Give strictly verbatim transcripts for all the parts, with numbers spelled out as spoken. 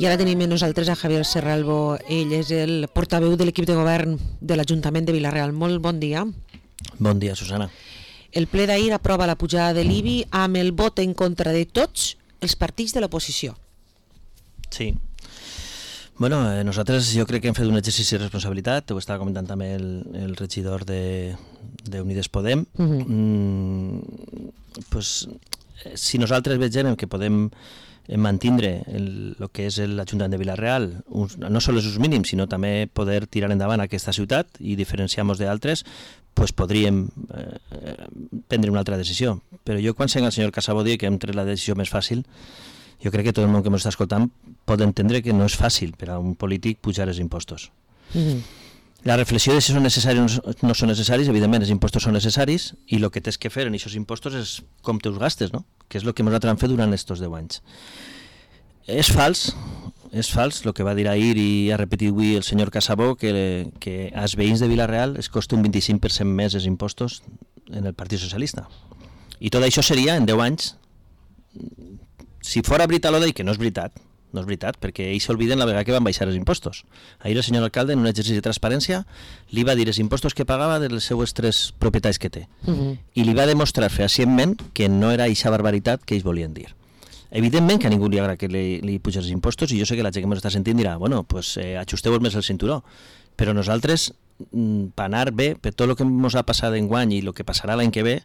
I ara tenim amb nosaltres a Javier Serralbo. Ell és el portaveu de l'equip de govern de l'Ajuntament de Vila-real. Molt bon dia. Bon dia, Susana. El ple d'ahir aprova la pujada de l'I B I amb el vot en contra de tots els partits de l'oposició. Sí. Bueno, eh, nosaltres jo crec que hem fet un exercici de responsabilitat, ho estava comentant també el, el regidor de, de Unides Podem. Uh-huh. mm, pues, si nosaltres vegem que podem mantindre el, el que és l'Ajuntament de Vila-real, uns, no sols els mínims, sinó també poder tirar endavant aquesta ciutat i diferenciar-nos d'altres, pues podríem eh, prendre una altra decisió. Però jo quan sent el senyor Casabó dir que hem tret la decisió més fàcil, jo crec que tot el món que ens està escoltant pot entendre que no és fàcil per a un polític pujar els impostos. Mm-hmm. La reflexió de si són necessaris o no són necessaris, evidentment els impostos són necessaris i el que tens que fer en aquests impostos és com te'ls gastes, no? Que és el que nosaltres hem fet durant aquests deu anys. És fals, és fals el que va dir ahir i ha repetit avui el senyor Casabó, que, que als veïns de Vila-real es costa un vint-i-cinc per cent més els impostos en el Partit Socialista. I tot això seria en deu anys, si fora veritat l'Oda, i que no és veritat, no és veritat, perquè ells s'olviden la vegada que van baixar els impostos. Ahir el senyor alcalde, en un exercici de transparència, li va dir els impostos que pagava dels seus tres propietats que té. Uh-huh. I li va demostrar fehacientment que no era eixa barbaritat que ells volien dir. Evidentment que a ningú li agrada que li, li pugen els impostos, i jo sé que la gent que m'està sentint dirà, bueno, pues eh, ajusteu més el cinturó. Però nosaltres, per anar bé, per tot el que ens ha passat enguany i el que passarà l'any que ve,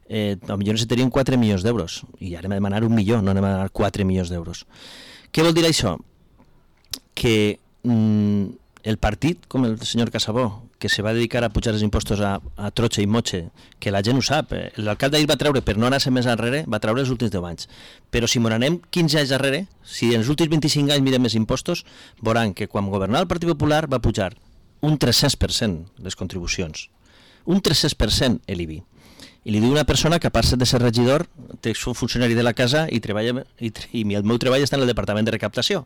eh, potser necessitaríem quatre milions d'euros. I ara hem de demanar un milió, no anem a demanar quatre milions d'euros. Què vol dir això? Que mm, el partit, com el senyor Casabó, que se va dedicar a pujar els impostos a, a trotxe i motxe, que la gent ho sap, eh? L'alcalde ahir va treure, per no anar-se més enrere, va treure els últims deu anys. Però si m'anem quinze anys darrere, si en els últims vint-i-cinc anys mirem més impostos, veuran que quan governava el Partit Popular va pujar un tres-cents per cent les contribucions. Un tres-cents per cent l'I B I. I li diu una persona que a part de ser regidor és un funcionari de la casa i, treballa, i, i el meu treball està en el Departament de Recaptació.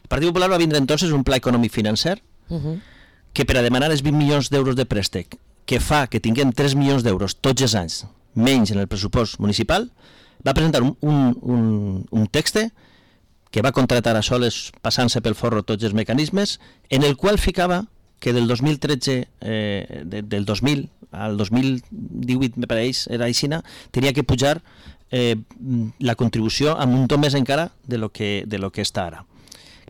El Partit Popular va vindre entonces un pla econòmic financer uh-huh. que per a demanar els vint milions d'euros de préstec que fa que tinguem tres milions d'euros tots els anys menys en el pressupost municipal, va presentar un, un, un, un text que va contratar a soles passant-se pel forro tots els mecanismes, en el qual ficava que del dos mil tretze, eh, de, del dos mil al dos mil divuit, me pareix, era aixina, tenia que pujar eh, la contribució amb un to més encara de lo que, de lo que està ara.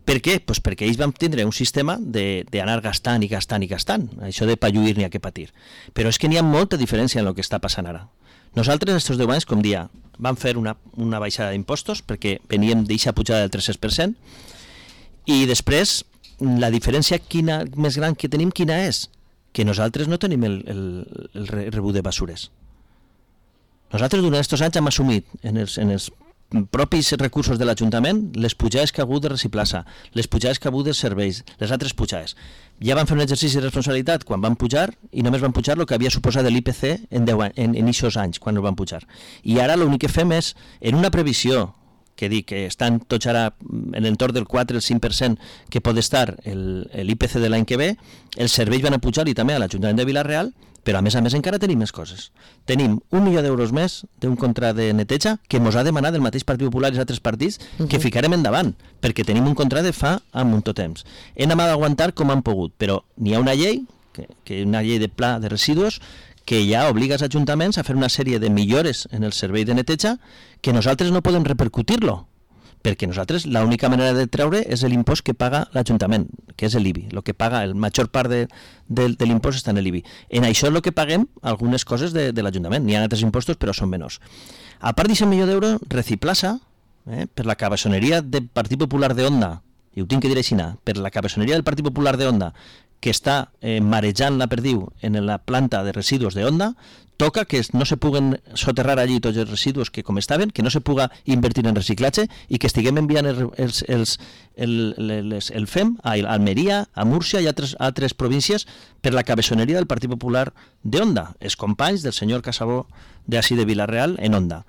Per què? Pues perquè ells van tindre un sistema d'anar gastant i gastant i gastant, això de pa lluir ni a què patir. Però és que n'hi ha molta diferència en el que està passant ara. Nosaltres, estos deu anys, com dia, vam fer una, una baixada d'impostos perquè veníem d'eixa pujada del tres per cent i després la diferència quina, més gran que tenim quina és? Que nosaltres no tenim el, el, el rebut de basures. Nosaltres durant aquests anys hem assumit en els, en els propis recursos de l'Ajuntament les pujades que ha hagut de reciclar-se, les pujades que ha hagut de serveis, les altres pujades. Ja van fer un exercici de responsabilitat quan van pujar i només van pujar el que havia suposat l'I P C en, deu, en, en aquests anys, quan el van pujar. I ara l'únic que fem és, en una previsió que dic que estan tots ara en l'entorn del quatre al cinc per cent que pot estar l'I P C de l'any que ve, els serveis van a pujar i també a l'Ajuntament de Vila-real, però a més a més encara tenim més coses. Tenim un milió d'euros més d'un contracte de neteja que ens ha demanat el mateix Partit Popular i els altres partits uh-huh. que ficarem endavant, perquè tenim un contracte fa a molt temps. Hem d'aguantar com han pogut, però n'hi ha una llei, que, que una llei de pla de residus, que ja obliga els ajuntaments a fer una sèrie de millores en el servei de neteja que nosaltres no podem repercutir-lo, perquè nosaltres l'única manera de treure és l'impost que paga l'Ajuntament, que és l'I B I, el que paga, el major part de, de, de l'impost està en l'I B I. En això és el que paguem algunes coses de, de l'Ajuntament, n'hi ha altres impostos però són menors. A part d'aquest milió d'euros, Reciclasa, eh, per la cabassoneria del Partit Popular de Onda, i ho tinc que dir així, per la cabassoneria del Partit Popular de Onda, que està eh, marejant la perdiu en la planta de residus de Onda, toca que no se puguen soterrar allí tots els residus que com estaven, que no se puga invertir en reciclatge i que estiguem enviant els, els, els, el, les, el F E M a Almeria, a Múrcia i a altres, altres províncies per la cabessoneria del Partit Popular de Onda, els companys del senyor Casabó d'ací de Vila-real en Onda.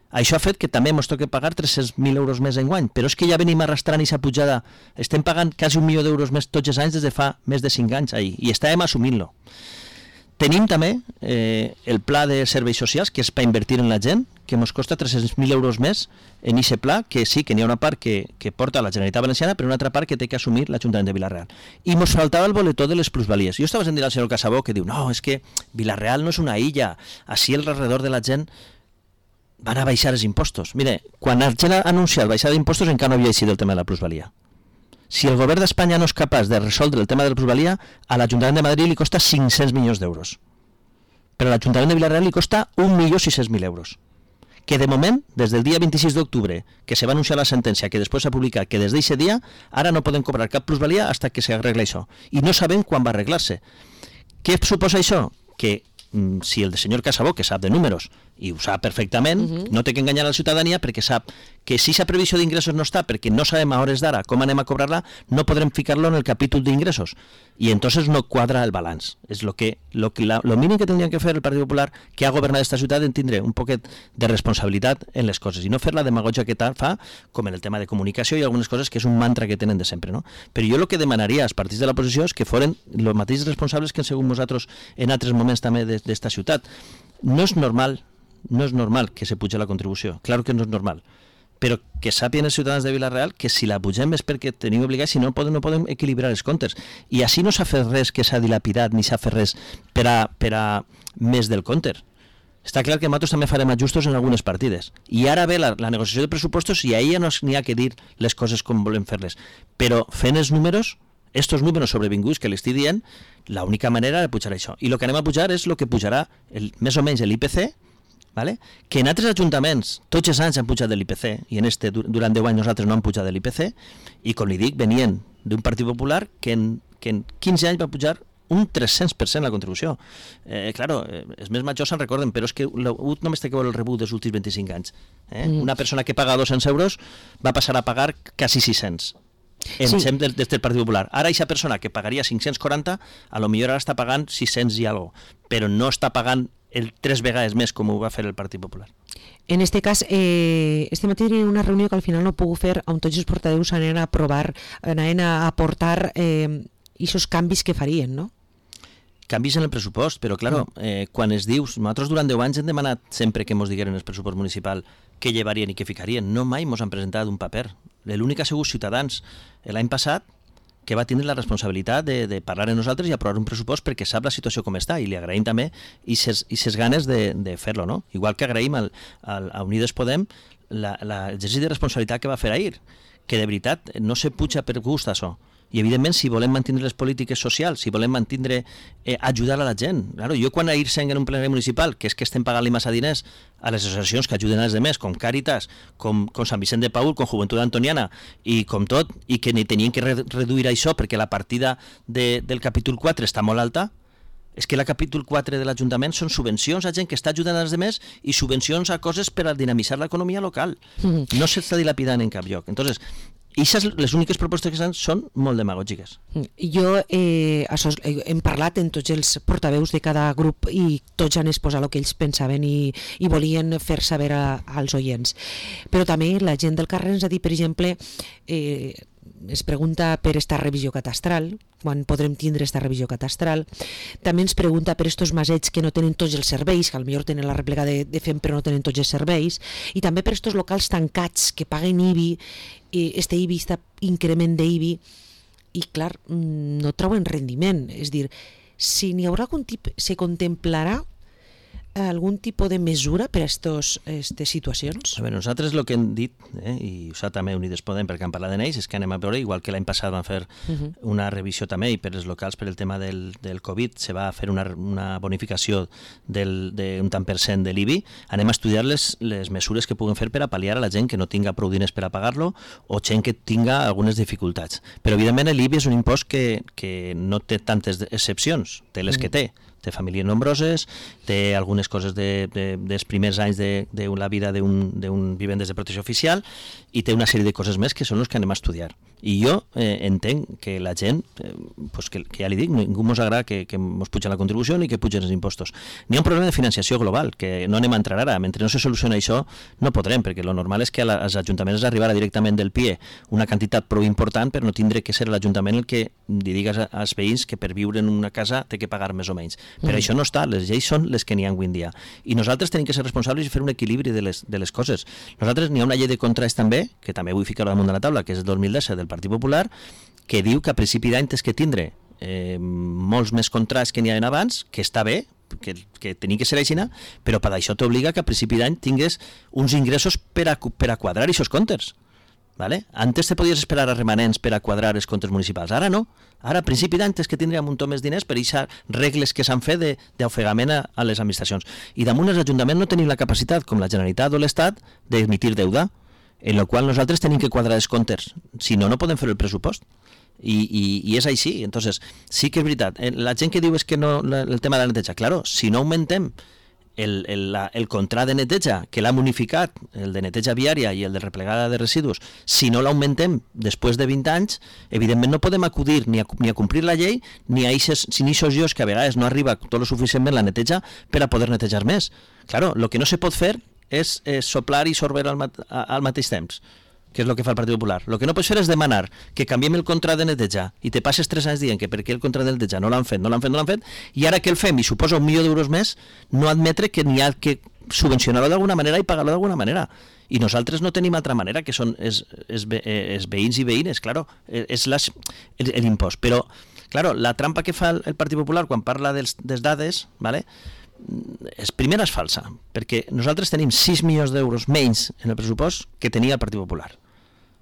Això ha fet que també ens toqui pagar tres-cents mil euros més enguany, però és que ja venim arrastrant aquesta pujada, estem pagant quasi un milió d'euros més tots els anys des de fa més de cinc anys ahir, i estàvem assumint-lo. Tenim també eh, el pla de serveis socials, que és per invertir en la gent, que ens costa tres-cents mil euros més en aquest pla, que sí, que n'hi ha una part que, que porta la Generalitat Valenciana, però una altra part que té que assumir l'Ajuntament de Vila-real. I ens faltava el boletó de les plusvalies. Jo estava sentint al senyor Casabó que diu, no, és que Vila-real no és una illa, així alrededor de la gent van a baixar els impostos. Mire, quan la gent ha anunciat baixar d'impostos encara no havia eixit el tema de la plusvalia. Si el govern d'Espanya no és capaç de resoldre el tema de la plusvalia, a l'Ajuntament de Madrid li costa cinc-cents milions d'euros. Però a l'Ajuntament de Vila-real li costa un milió sis-cents mil euros. Que de moment, des del dia vint-i-sis d'octubre, que se va anunciar la sentència, que després s'ha publicat, que des d'aquest dia, ara no poden cobrar cap plusvalia fins que s'arregla això. I no sabem quan va arreglar-se. Què suposa això? Que mm, si el senyor Casabó, que sap de números, i ho sap perfectament, uh-huh. no té que enganyar a la ciutadania perquè sap que si aquesta previsió d'ingressos no està, perquè no sabem a hores d'ara com anem a cobrar-la, no podrem ficar-lo en el capítol d'ingressos. I entonces no quadra el balanç. És lo que, lo que la, lo mínim que tindria que fer el Partit Popular, que ha governat esta ciutat, en tindre un poquet de responsabilitat en les coses i no fer la demagogia que tal fa, com en el tema de comunicació i algunes coses que és un mantra que tenen de sempre, no? Però jo el que demanaria als partits de l'oposició és que foren els mateixos responsables que han sigut nosaltres en altres moments també d'esta ciutat. No és normal no és normal que se puja la contribució, clar que no és normal, però que sàpien els ciutadans de Vila-real que si la pugem és perquè tenim obligats, si no podem, no podem equilibrar els comptes. I així no s'ha fet res que s'ha dilapidat, ni s'ha fet res per a, per a més del compte. Està clar que nosaltres també farem ajustos en algunes partides. I ara ve la, la negociació de pressupostos i a ella no n'hi ha que dir les coses com volem fer-les. Però fent els números, estos números sobrevinguts que l'estic dient, l'única manera de pujar això. I el que anem a pujar és el que pujarà el, més o menys l'I P C, vale? Que en altres ajuntaments tots els anys han pujat de l'I P C i en este durant deu anys nosaltres no han pujat de l'I P C i com li dic venien d'un Partit Popular que en, que en quinze anys va pujar un tres-cents per cent la contribució. Eh, claro, eh, els més majors se'n recorden, però és que l'U T només té que veure el rebut dels últims vint-i-cinc anys. Eh? Mm. Una persona que paga dos-cents euros va passar a pagar quasi sis-cents. En sí. Des, des del Partit Popular. Ara aquesta persona que pagaria cinc-cents quaranta, a lo millor ara està pagant sis-cents i alguna cosa, però no està pagant el tres vegades més com ho va fer el Partit Popular. En este cas, eh, este matí en una reunió que al final no puc fer, on tots els portaveus anaven a aprovar, anaven a aportar eh, aquests canvis que farien, no? Canvis en el pressupost, però claro, eh, quan es dius, nosaltres durant deu anys hem demanat sempre que ens digueren el pressupost municipal què llevarien i què ficarien, no mai ens han presentat un paper. L'únic ha sigut Ciutadans l'any passat que va tindre la responsabilitat de, de parlar amb nosaltres i aprovar un pressupost perquè sap la situació com està i li agraïm també i ses ganes de, de fer-lo, no? Igual que agraïm al, al, a Unides Podem l'exercici de responsabilitat que va fer ahir, que de veritat no se puja per gust això. I evidentment si volem mantenir les polítiques socials, si volem mantenir, eh, ajudar a la gent. Claro, jo quan ahir sent en un plenari municipal, que és que estem pagant-li massa diners a les associacions que ajuden als demés, com Càritas, com, com Sant Vicent de Paül, com Joventut Antoniana, i com tot, i que ni tenien que re reduir això perquè la partida de, del capítol quatre està molt alta, és que la capítol quatre de l'Ajuntament són subvencions a gent que està ajudant als demés i subvencions a coses per a dinamitzar l'economia local. Mm-hmm. No s'està dilapidant en cap lloc. Entonces, i les úniques propostes que són molt demagògiques. Jo eh, això, hem parlat en tots els portaveus de cada grup i tots han exposat el que ells pensaven i, i volien fer saber a, als oients. Però també la gent del carrer ens ha dit, per exemple, eh, es pregunta per esta revisió catastral, quan podrem tindre esta revisió catastral. També ens pregunta per estos masets que no tenen tots els serveis, que potser tenen la rèplica de, de F E M però no tenen tots els serveis, i també per estos locals tancats que paguen I B I, eh, este I B I, este increment d'I B I, i clar, no trauen rendiment. És dir, si n'hi haurà algun tipus, se contemplarà algun tipus de mesura per a aquestes situacions? A veure, nosaltres el que hem dit, eh, i ho sap també Unides Podem perquè han parlat d'ells, és que anem a veure, igual que l'any passat van fer uh-huh. una revisió també, i per als locals per el tema del, del Covid se va fer una, una bonificació d'un tant per cent de l'I B I, anem a estudiar les, les mesures que puguen fer per a pal·liar a la gent que no tinga prou diners per a pagar-lo o gent que tinga algunes dificultats. Però evidentment l'I B I és un impost que, que no té tantes excepcions, té les uh-huh. que té. Té famílies nombroses, té algunes coses de, de, dels primers anys de, de la vida d'un vivendes de protecció oficial i té una sèrie de coses més que són les que anem a estudiar. I jo eh, entenc que la gent, eh, pues que, que ja li dic, ningú ens agrada que, que ens pugen la contribució ni que pugen els impostos. N'hi ha un problema de financiació global, que no anem a entrar ara. Mentre no se soluciona això, no podrem, perquè lo normal és que als ajuntaments arribarà directament del P I E una quantitat prou important, però no tindrà que ser l'Ajuntament el que li digues als veïns que per viure en una casa té que pagar més o menys. Però Mm. això no està, les lleis són les que n'hi ha avui en dia. I nosaltres tenim que ser responsables i fer un equilibri de les, de les coses. Nosaltres n'hi ha una llei de contrats també, que també vull ficar damunt de la taula, que és el dos mil disset del Partit Popular, que diu que a principi d'any tens que tindre eh, molts més contrats que n'hi havia abans, que està bé, que, que tenia que ser així, però per això t'obliga que a principi d'any tingues uns ingressos per a, per a quadrar aquests comptes. ¿Vale? Antes te podies esperar a remanents per a quadrar els comptes municipals, ara no. Ara, a principi d'any, tens que tindre un munt més diners per aquestes regles que s'han fet d'ofegament a, a les administracions. I damunt els ajuntaments no tenim la capacitat, com la Generalitat o l'Estat, d'emitir deuda, en la qual nosaltres tenim que quadrar els comptes. Si no, no podem fer el pressupost. I, i, i és així. Entonces, sí que és veritat. La gent que diu és que no, el tema de la neteja, claro, si no augmentem el, el, la, el contrat de neteja, que l'ha unificat, el de neteja viària i el de replegada de residus, si no l'augmentem després de vint anys, evidentment no podem acudir ni a, ni a complir la llei, ni a eixes, ni a llocs que a vegades no arriba tot lo suficientment la neteja per a poder netejar més. Claro, el que no se pot fer és, és soplar i sorber al, mat, al mateix temps, que és el que fa el Partit Popular. El que no pots fer és demanar que canviem el contrat de neteja i te passes tres anys dient que per què el contrat de neteja no l'han fet, no l'han fet, no l'han fet, i ara que el fem i suposa un milió d'euros més, no admetre que n'hi ha que subvencionar-lo d'alguna manera i pagar-lo d'alguna manera. I nosaltres no tenim altra manera, que són els, els, els veïns i veïnes, claro, és l'impost. Però, claro, la trampa que fa el Partit Popular quan parla dels, dels dades, ¿vale? És, primera és falsa, perquè nosaltres tenim sis milions d'euros menys en el pressupost que tenia el Partit Popular,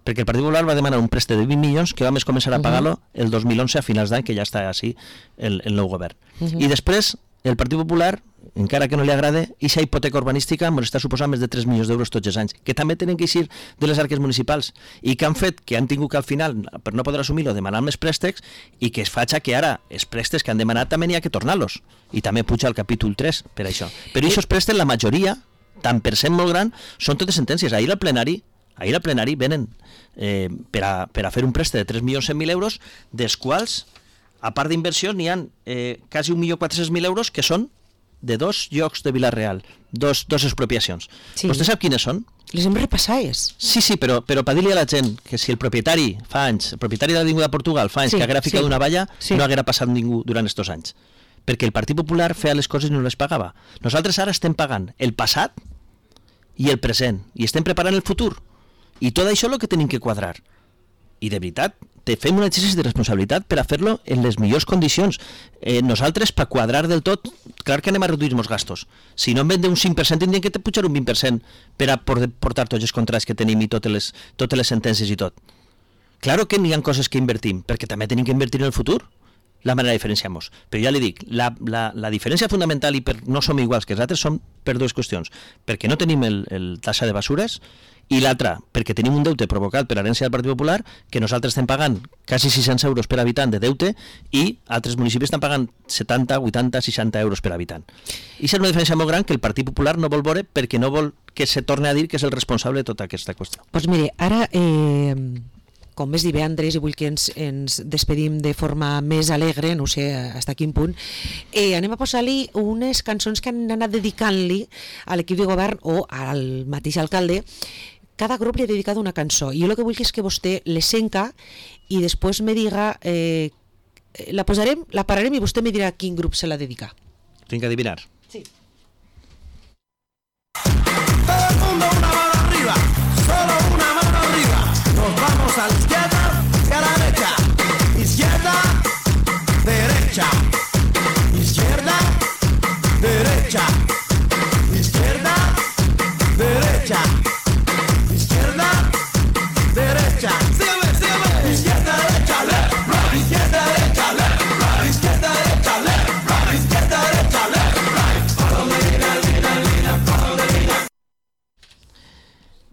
perquè el Partit Popular va demanar un préstec de vint milions que vam començar a pagar-lo el dos mil onze a finals d'any, que ja està així el, el nou govern. Uh-huh. I després el Partit Popular, encara que no li agrade, aquesta hipoteca urbanística ens està suposant més de tres milions d'euros tots els anys, que també tenen que eixir de les arques municipals i que han fet que han tingut que al final, per no poder assumir-lo, demanar més préstecs i que es faig que ara els préstecs que han demanat també n'hi ha que tornar-los i també puja al capítol tres per això. Però aquests préstecs, la majoria, tant per cent molt gran, són totes sentències. Ahir al plenari ahir al plenari venen eh, per, a, per a fer un préstec de tres milions cent mil euros, dels quals, a part d'inversions, n'hi ha eh, quasi un milió quatre-cents mil euros que són de dos llocs de Vila-real, dos, dos expropiacions. Sí. Vostè sap quines són? Les hem repassades. Sí, sí, però, però per dir-li a la gent que si el propietari fa anys, el propietari de l'Avinguda Portugal fa anys sí, que haguera ficat sí. una valla, sí. no haguera passat ningú durant estos anys. Perquè el Partit Popular feia les coses i no les pagava. Nosaltres ara estem pagant el passat i el present, i estem preparant el futur. I tot això és el que tenim que quadrar. I de veritat, te fem un exercici de responsabilitat per a fer-lo en les millors condicions. Eh, nosaltres, per quadrar del tot, clar que anem a reduir els gastos. Si no en vende un cinc per cent, tindríem que te pujar un vint per cent per a portar tots els contrats que tenim i totes les, totes les sentències i tot. Claro que n'hi ha coses que invertim, perquè també tenim que invertir en el futur. La manera diferenciamos. Però ja li dic, la, la, la diferència fundamental i per no som iguals que els altres són per dues qüestions. Perquè no tenim el, el taxa de basures i l'altra, perquè tenim un deute provocat per herència del Partit Popular que nosaltres estem pagant quasi sis-cents euros per habitant de deute i altres municipis estan pagant setanta, vuitanta, seixanta euros per habitant. I és una diferència molt gran que el Partit Popular no vol veure perquè no vol que se torni a dir que és el responsable de tota aquesta qüestió. Doncs pues mire, ara... Eh... com més dir bé, Andrés, i vull que ens, ens despedim de forma més alegre, no sé fins a quin punt, eh, anem a posar-li unes cançons que han anat dedicant-li a l'equip de govern o al mateix alcalde. Cada grup li ha dedicat una cançó, i jo el que vull és que vostè les senca i després me diga, eh, la posarem, la pararem i vostè me dirà a quin grup se la dedica. Tinc que adivinar. Sí. Todo el mundo una mano arriba, solo una mano arriba. Nos vamos a la izquierda y a la derecha. Izquierda, derecha. Izquierda, derecha. Izquierda, derecha. Izquierda, derecha. Sígueme, sígueme. Izquierda, derecha, left, right. Izquierda, derecha, left, right. Izquierda, derecha, left, right. Izquierda, derecha, left, right. Follow the leader, leader, leader, follow the leader.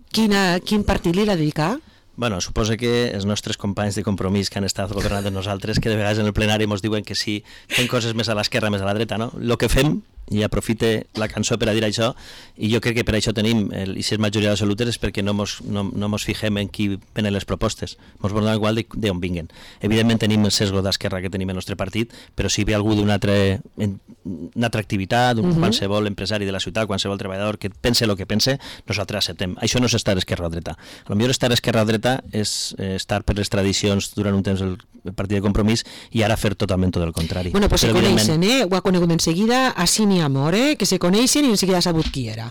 Quina, quin partit li l'ha dedicat? Bueno, suposo que els nostres companys de Compromís que han estat governant de nosaltres, que de vegades en el plenari ens diuen que sí, fem coses més a l'esquerra, més a la dreta, no? El que fem i aprofite la cançó per a dir això, i jo crec que per això tenim, el, i si és majoria absoluta és perquè no mos, no, no mos fixem en qui venen les propostes, mos volen igual d'on vinguen. Evidentment tenim el sesgo d'esquerra que tenim el nostre partit, però si ve algú d'una altra, una altra activitat, un, uh -huh. qualsevol empresari de la ciutat, qualsevol treballador que pense el que pense, nosaltres acceptem. Això no és estar esquerra o dreta. A lo millor estar esquerra o dreta és eh, estar per les tradicions durant un temps el, el partit de Compromís i ara fer totalment tot el contrari. Bueno, pues però se coneixen, evidentment... eh? Ho ha conegut en seguida, així n'hi amor, eh? Que se coneixen i en seguida ha sabut qui era.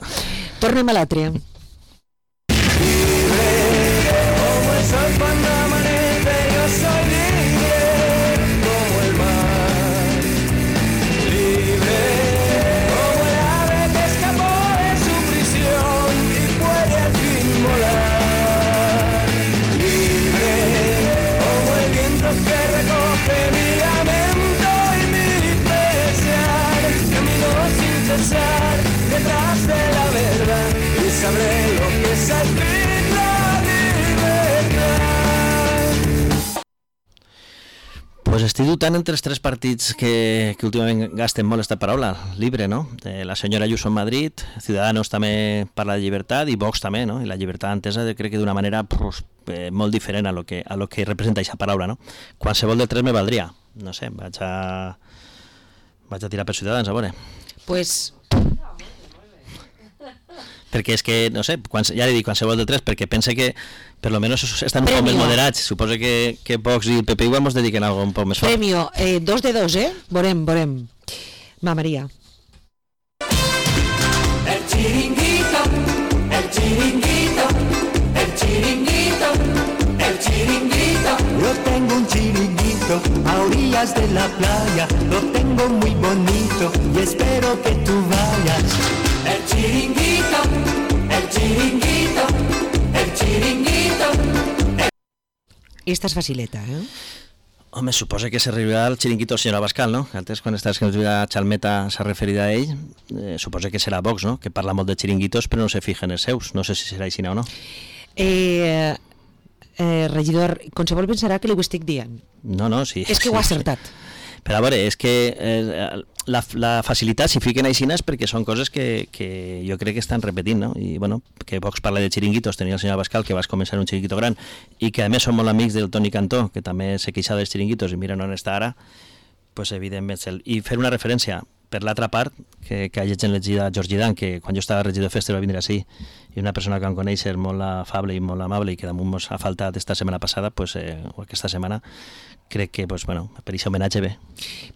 Tornem a l'altre. Detrás de la verdad y sabré lo que es al fin la libertad. Pues estic dubtant entre els tres partits que, que últimament gasten molt esta paraula, libre, no? Eh, la senyora Ayuso en Madrid, Ciudadanos també parla de llibertat i Vox també, no? I la llibertat entesa crec que d'una manera pues, eh, molt diferent a lo que, a lo que representa aquesta paraula, no? Qualsevol de tres me valdria. No sé, vaig a, vaig a tirar per Ciutadans, a veure. Pues... perquè és que, no sé, quan, ja li dic qualsevol de tres, perquè pense que per lo menos estan un poc més moderats. Suposo que, que Vox i el P P igual ens dediquen a algo un poc més fort. Premio, eh, dos de dos, eh? Veurem, veurem. Va, Maria. El chiringuito, el chiringuito, el chiringuito, el chiringuito. Yo tengo un chiringuito a orillas de la playa, lo tengo muy bonito y espero que tú vayas. El chiringuito, el chiringuito, el chiringuito. El... Esta és facileta, eh? Home, suposa que s'arribarà al xiringuito del senyor Abascal, no? Antes, quan estàs que la Chalmeta s'ha referit a ell, eh, suposa que serà Vox, no? Que parla molt de xiringuitos però no se fija en els seus. No sé si serà així o no. Eh, eh, regidor, qualsevol pensarà que li ho estic dient. No, no, sí. És que sí, ho ha acertat. Sí. Però a veure, és que eh, la, la facilitat s'hi fiquen aixines perquè són coses que, que jo crec que estan repetint, no? I bueno, que Vox parla de xiringuitos, tenia el senyor Abascal que va començar un xiringuito gran i que a més són molt amics del Toni Cantó, que també se queixa dels xiringuitos i mira on està ara, pues evidentment. I fer una referència per l'altra part, que, que ha llegit a George Dan, que quan jo estava regidor de Festa va vindre així, i una persona que em coneix molt afable i molt amable i que damunt mos ha faltat esta setmana passada, pues, eh, o aquesta setmana, crec que pues, bueno, per aquest homenatge bé.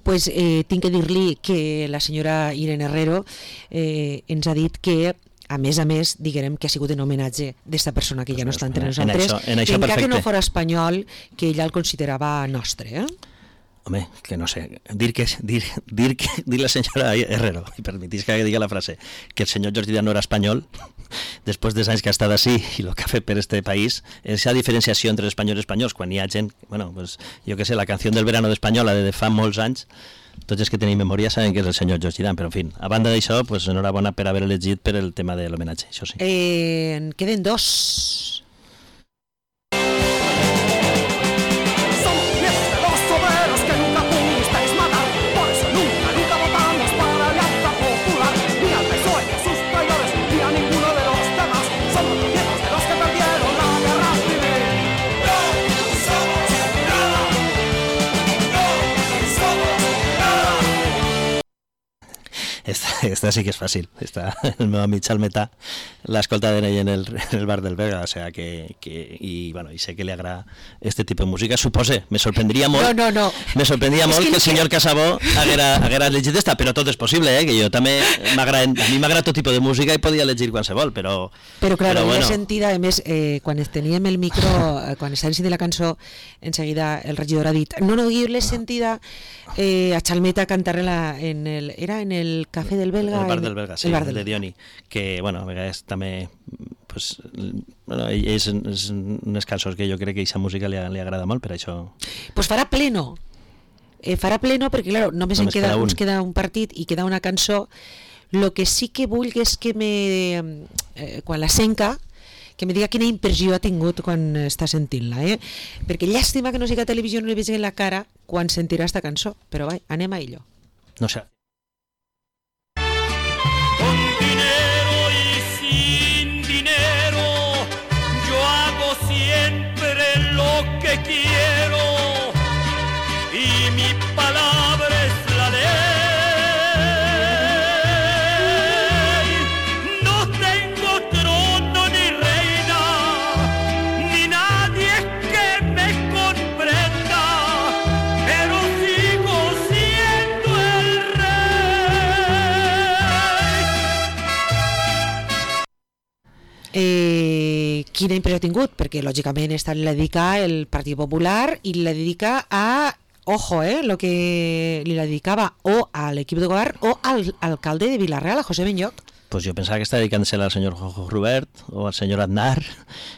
Pues, eh, tinc que dir-li que la senyora Irene Herrero eh, ens ha dit que a més a més, diguem que ha sigut en homenatge d'esta persona que ja no està entre nosaltres, en això, en això encara que no fora espanyol, que ella el considerava nostre, eh? Home, que no sé, dir que dir, dir, que, dir la senyora Herrero, i permetís que diga la frase, que el senyor Jordi Dan no era espanyol, després dels anys que ha estat així i el que ha fet per este país, esa diferenciació entre espanyols i espanyols, quan hi ha gent, bueno, pues, jo que sé, la canció del verano d'Espanyola de fa molts anys, tots els que tenim memòria saben que és el senyor Jordi Dan, però en fi, a banda d'això, pues, enhorabona per haver elegit per el tema de l'homenatge, això sí. Eh, en queden dos. Esta, esta sí que és fàcil. Esta, el meu amic Chalmeta l'escolta de ell en el, en el bar del Vega, o sea que, que i, bueno, i sé que li agrada este tipus de música. Supose, me sorprendria molt, no, no, no. me sorprendria molt que, que el senyor Casabó haguera, haguera elegit esta, però tot és possible, eh? Que jo també m'agrada, a mi m'agrada tot tipus de música i podia elegir qualsevol, però... Però, clar, però bueno. bueno. He sentit, a més, eh, quan teníem el micro, eh, quan estàvem sentint la cançó, en seguida el regidor ha dit, no, no, jo l'he sentida eh, a Chalmeta cantar en, la, en el... Era en el Cafè del Belga? El bar del Belga, sí, el bar del... del... de Dioni, que, bueno, a vegades també, pues, bueno, és, és unes cançons que jo crec que aquesta música li, li agrada molt, per això... Pues farà pleno, eh, farà pleno, perquè, clar, només, només queda, queda un. ens queda un partit i queda una cançó. Lo que sí que vull és que me, eh, quan la senca, que me diga quina impressió ha tingut quan està sentint-la, eh? Perquè llàstima que no siga a televisió, no li veig en la cara quan sentirà esta cançó, però vai, anem a ello. No sé. siempre lo que quiero y mi palabra es la ley. No tengo trono ni reina, ni nadie que me comprenda, pero sigo siendo el rey. Eh, quina impressió ha tingut? Perquè lògicament està li dedica el Partit Popular i la dedica a, ojo, eh, lo que li dedicava o a l'equip de govern o al alcalde de Vila-real, a José Benlloch. Pues jo pensava que està dedicant-se al senyor Jojo Robert o al senyor Aznar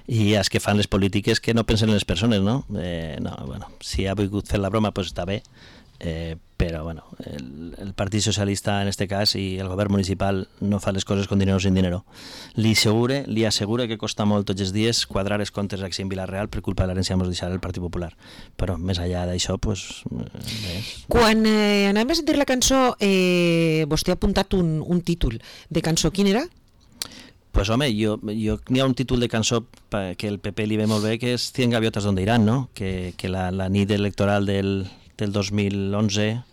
i als que fan les polítiques que no pensen en les persones, no? Eh, no, bueno, si ha volgut fer la broma, pues està bé. Eh, però bueno, el, el Partit Socialista en este cas i el govern municipal no fa les coses con dinero sin dinero. Li assegure, li assegure que costa molt tots els dies quadrar els comptes aquí en Vila-real per culpa de l'herència que ens deixarà el Partit Popular. Però més enllà d'això, pues, bé. Quan eh, anem a sentir la cançó, eh, vostè ha apuntat un, un títol de cançó. Quin era? Pues home, jo, jo n'hi ha un títol de cançó que el P P li ve molt bé, que és Cien gaviotas donde irán, no? Que, que la, la nit electoral del del dos mil onze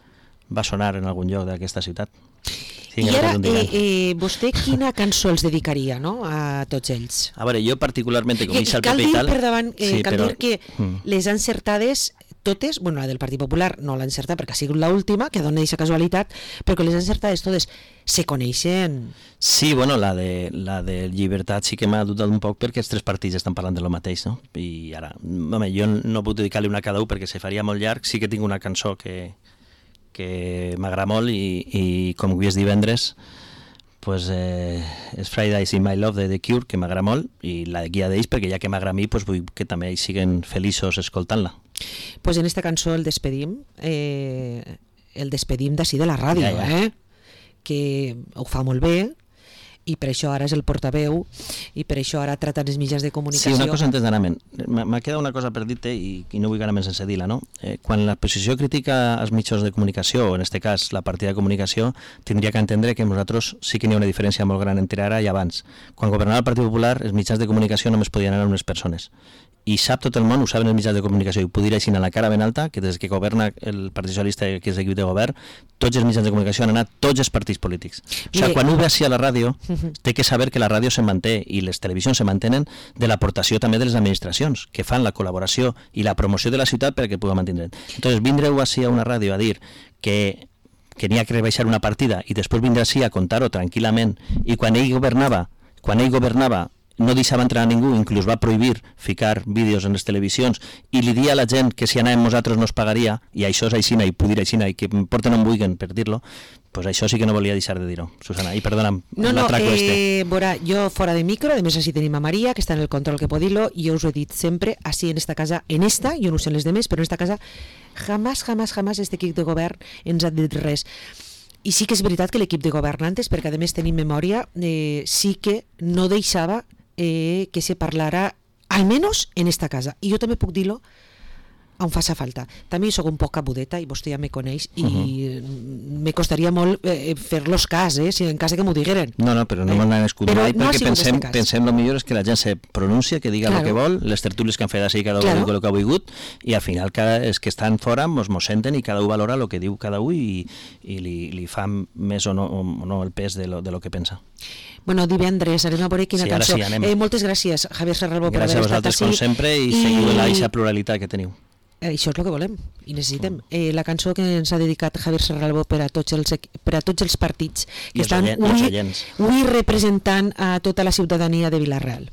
va sonar en algun lloc d'aquesta ciutat. Sí, I ara, eh, eh, vostè quina cançó els dedicaria, no?, a tots ells? A veure, jo particularment, com dic el cal P P dir, i tal... per davant, eh, sí, cal però... dir que mm. les encertades totes, bueno, la del Partit Popular no l'ha encertat perquè ha sigut l'última, que dona aquesta casualitat, però que les encertades totes se coneixen. Sí, bueno, la de, la de Llibertat sí que m'ha dubtat un poc perquè els tres partits estan parlant de lo mateix, no? I ara, home, jo no puc dedicar-li una a cada un perquè se faria molt llarg. Sí que tinc una cançó que, que m'agrada molt i, i com avui és divendres, pues, eh, és Fridays in My Love de The Cure, que m'agrada molt, i la guia d'ells, perquè ja que m'agrada a mi, pues, vull que també ells siguen feliços escoltant-la. Pues en esta cançó el despedim, eh, el despedim d'ací de la ràdio, ja, ja. eh? Que ho fa molt bé, i per això ara és el portaveu, i per això ara trata els mitjans de comunicació. Sí, una cosa antes d'anar, m'ha quedat una cosa per dir-te i, i no vull anar més sense dir-la, no? Eh, quan l'oposició critica els mitjans de comunicació, o en este cas la partida de comunicació, tindria que entendre que nosaltres sí que n'hi ha una diferència molt gran entre ara i abans. Quan governava el Partit Popular, els mitjans de comunicació només podien anar unes persones. I sap tot el món, ho saben els mitjans de comunicació, i ho puc dir així a la cara ben alta, que des que governa el Partit Socialista, que és l'equip de govern, tots els mitjans de comunicació han anat tots els partits polítics. O sigui, quan ho ve així a la ràdio, té que saber que la ràdio se manté i les televisions se mantenen de l'aportació també de les administracions, que fan la col·laboració i la promoció de la ciutat perquè pugui mantenir. Entonces, vindreu així a una ràdio a dir que que n'hi ha que rebaixar una partida i després vindrà així a contar-ho tranquil·lament, i quan ell governava, quan ell governava no deixava entrar a ningú, inclús va prohibir ficar vídeos en les televisions i li dia a la gent que si anàvem nosaltres no es pagaria, i això és aixina i puc dir aixina i que em porten on vulguin per dir-lo, pues això sí que no volia deixar de dir-ho, Susana, i perdona'm no, no, l'atraco eh, este. Veurà, jo fora de micro, a més així tenim a Maria, que està en el control que pot dir-lo, i jo us ho he dit sempre, així en esta casa, en esta, jo no sé les demés, però en esta casa, jamás, jamás, jamás este equip de govern ens ha dit res. I sí que és veritat que l'equip de governantes, perquè a més tenim memòria, eh, sí que no deixava eh, que se parlara, almenys en esta casa. I jo també puc dir-lo on faça falta. També soc un poc cabudeta i vostè ja me coneix i uh-huh. me costaria molt eh, fer-los cas, eh, si en cas que m'ho digueren. No, no, però no eh, m'han escut mai no perquè pensem, pensem el millor és que la gent se pronuncia, que diga claro. el que vol, les tertúlies que han fet així cada un claro. diu el que ha volgut, i al final cada, els que estan fora mos, mos senten i cada un valora el que diu cada un i, i li, li fa més o no, o no el pes de lo, de lo que pensa. Bueno, divendres anem a veure quina sí, cançó. Sí, eh, moltes gràcies, Javier Serralbo, per haver estat així. Gràcies a vosaltres, com sempre, i, i... seguiu la pluralitat que teniu. Eh, això és el que volem i necessitem. Eh, la cançó que ens ha dedicat Javier Serralbo per a tots els, per a tots els partits que I estan els oients. avui representant a tota la ciutadania de Vila-real.